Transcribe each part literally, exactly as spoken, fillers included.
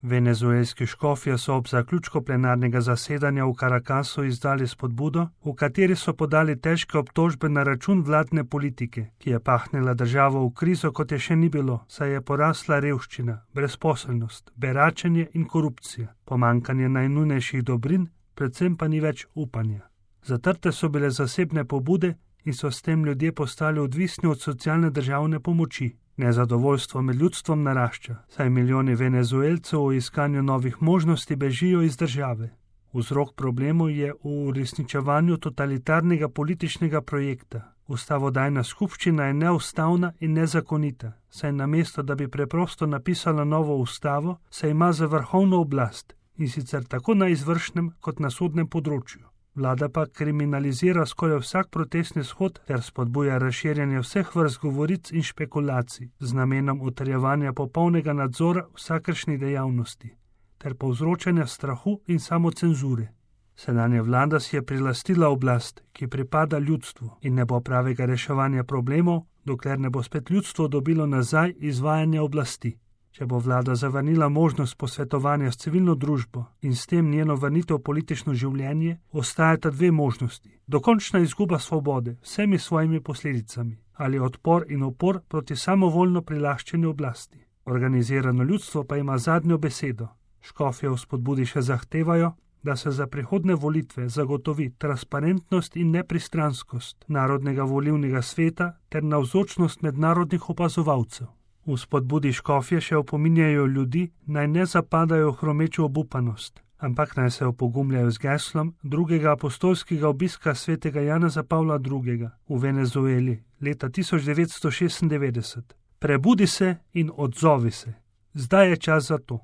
Venezuelski škofje so ob zaključku plenarnega zasedanja v Caracasu izdali spodbudo, v kateri so podali težke obtožbe na račun vladne politike, ki je pahnila državo v krizo, kot je še ni bilo, saj je porasla revščina, brezposelnost, beračenje in korupcija, pomanjkanje najnujnejših dobrin, predvsem pa ni več upanja. Zatrte so bile zasebne pobude in so s tem ljudje postali odvisni od socialne državne pomoči. Nezadovoljstvo med ljudstvom narašča, saj milijoni Venezuelcev v iskanju novih možnosti bežijo iz države. Vzrok problemov je v uresničevanju totalitarnega političnega projekta. Ustavodajna skupščina je neustavna in nezakonita, saj namesto, da bi preprosto napisala novo ustavo, se ima za vrhovno oblast, in sicer tako na izvršnem kot na sodnem področju. Vlada pa kriminalizira skoraj vsak protestni shod ter spodbuja razširjanje vseh vrst govoric in špekulacij z namenom utrjevanja popolnega nadzora vsakršnih dejavnosti ter povzročanja strahu in samocenzure. Sedanja vlada si je prilastila oblast, ki pripada ljudstvu, in ne bo pravega reševanja problemov, dokler ne bo spet ljudstvo dobilo nazaj izvajanje oblasti. Če bo vlada zavrnila možnost posvetovanja s civilno družbo in s tem njeno vrnitev v politično življenje, ostajata dve možnosti. Dokončna izguba svobode vsemi svojimi posledicami ali odpor in upor proti samovoljno prilaščeni oblasti. Organizirano ljudstvo pa ima zadnjo besedo. Škofje v spodbudi še zahtevajo, da se za prihodne volitve zagotovi transparentnost in nepristranskost Narodnega volilnega sveta ter navzočnost mednarodnih opazovalcev. V spodbudi škofje še opominjajo ljudi, naj ne zapadajo v hromečo obupanost, ampak naj se opogumljajo z geslom drugega apostolskega obiska svetega Janeza Pavla drugega v Venezueli leta tisoč devetsto šestindevetdeset. Prebudi se in odzovi se. Zdaj je čas za to.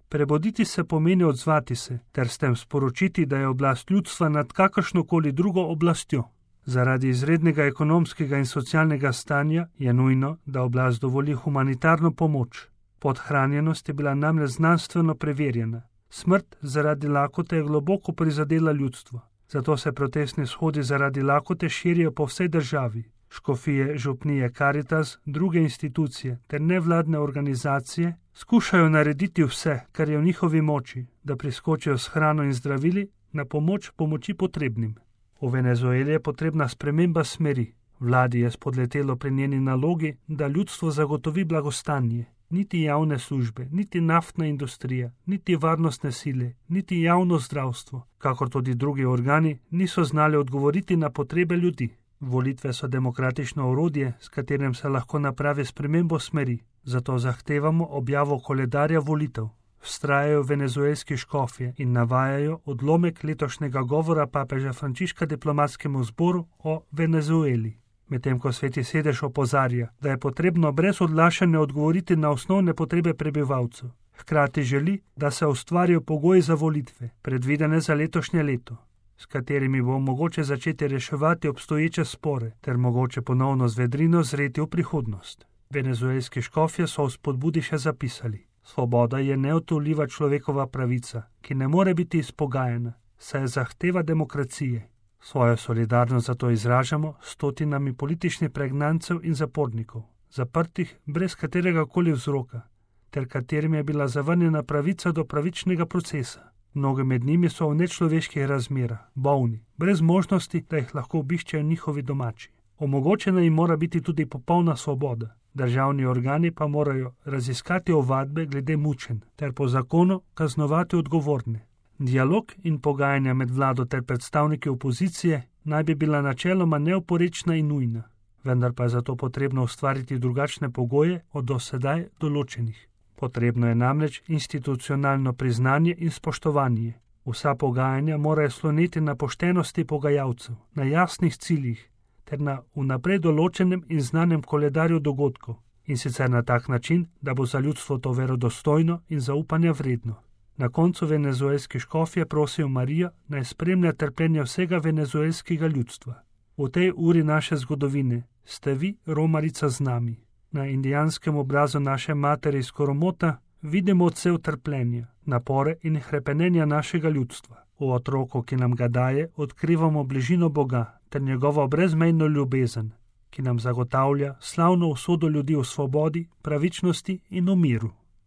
Prebuditi se pomeni odzvati se, ter s tem sporočiti, da je oblast ljudstva nad kakršnokoli drugo oblastjo. Zaradi izrednega ekonomskega in socialnega stanja je nujno, da oblast dovoli humanitarno pomoč. Podhranjenost je bila namreč znanstveno preverjena. Smrt zaradi lakote je globoko prizadela ljudstvo. Zato se protestni shodi zaradi lakote širijo po vsej državi. Škofije, župnije, Caritas, druge institucije ter nevladne organizacije skušajo narediti vse, kar je v njihovi moči, da priskočijo s hrano in zdravili na pomoč pomoči potrebnim. V Venezueli je potrebna sprememba smeri. Vladi je spodletelo pri njeni nalogi, da ljudstvo zagotovi blagostanje. Niti javne službe, niti naftna industrija, niti varnostne sile, niti javno zdravstvo, kakor tudi drugi organi, niso znali odgovoriti na potrebe ljudi. Volitve so demokratično orodje, s katerim se lahko napravi spremembo smeri. Zato zahtevamo objavo koledarja volitev. Vztrajajo venezuelski škofje in navajajo odlomek letošnjega govora papeža Frančiška diplomatskemu zboru o Venezueli. Medtem ko Sveti sedež opozarja, da je potrebno brez odlašanja odgovoriti na osnovne potrebe prebivalcev. Hkrati želi, da se ustvarijo pogoji za volitve, predvidene za letošnje leto, s katerimi bo mogoče začeti reševati obstoječe spore ter mogoče ponovno z vedrino zreti v prihodnost. Venezuelski škofje so v spodbudi še zapisali: svoboda je neodtujljiva človekova pravica, ki ne more biti izpogajana, saj zahteva demokracije. Svojo solidarnost zato izražamo s stotinami političnih pregnancev in zapornikov, zaprtih brez katerega koli vzroka, ter katerim je bila zavrnjena pravica do pravičnega procesa. Mnogi med njimi so v nečloveških razmerah, bolni, brez možnosti, da jih lahko obiščejo njihovi domači. Omogočena jim mora biti tudi popolna svoboda. Državni organi pa morajo raziskati ovadbe glede mučenj ter po zakonu kaznovati odgovorne. Dialog in pogajanja med vlado ter predstavniki opozicije naj bi bila načeloma neoporečna in nujna, vendar pa je zato potrebno ustvariti drugačne pogoje od do sedaj določenih. Potrebno je namreč institucionalno priznanje in spoštovanje. Vsa pogajanja morajo sloneti na poštenosti pogajalcev, na jasnih ciljih ter na vnaprej določenem in znanem koledarju dogodkov, in sicer na tak način, da bo za ljudstvo to verodostojno in zaupanja vredno. Na koncu venezuelski škofje prosijo Marijo, naj spremlja trpljenje vsega venezuelskega ljudstva. V tej uri naše zgodovine ste vi, romarica, z nami. Na indijanskem obrazu naše matere iz Koromota vidimo odsev trpljenja, napore in hrepenenja našega ljudstva. V otroku, ki nam ga daje, odkrivamo bližino Boga ter njegovo brezmejno ljubezen, ki nam zagotavlja slavno usodo ljudi v svobodi, pravičnosti in v miru.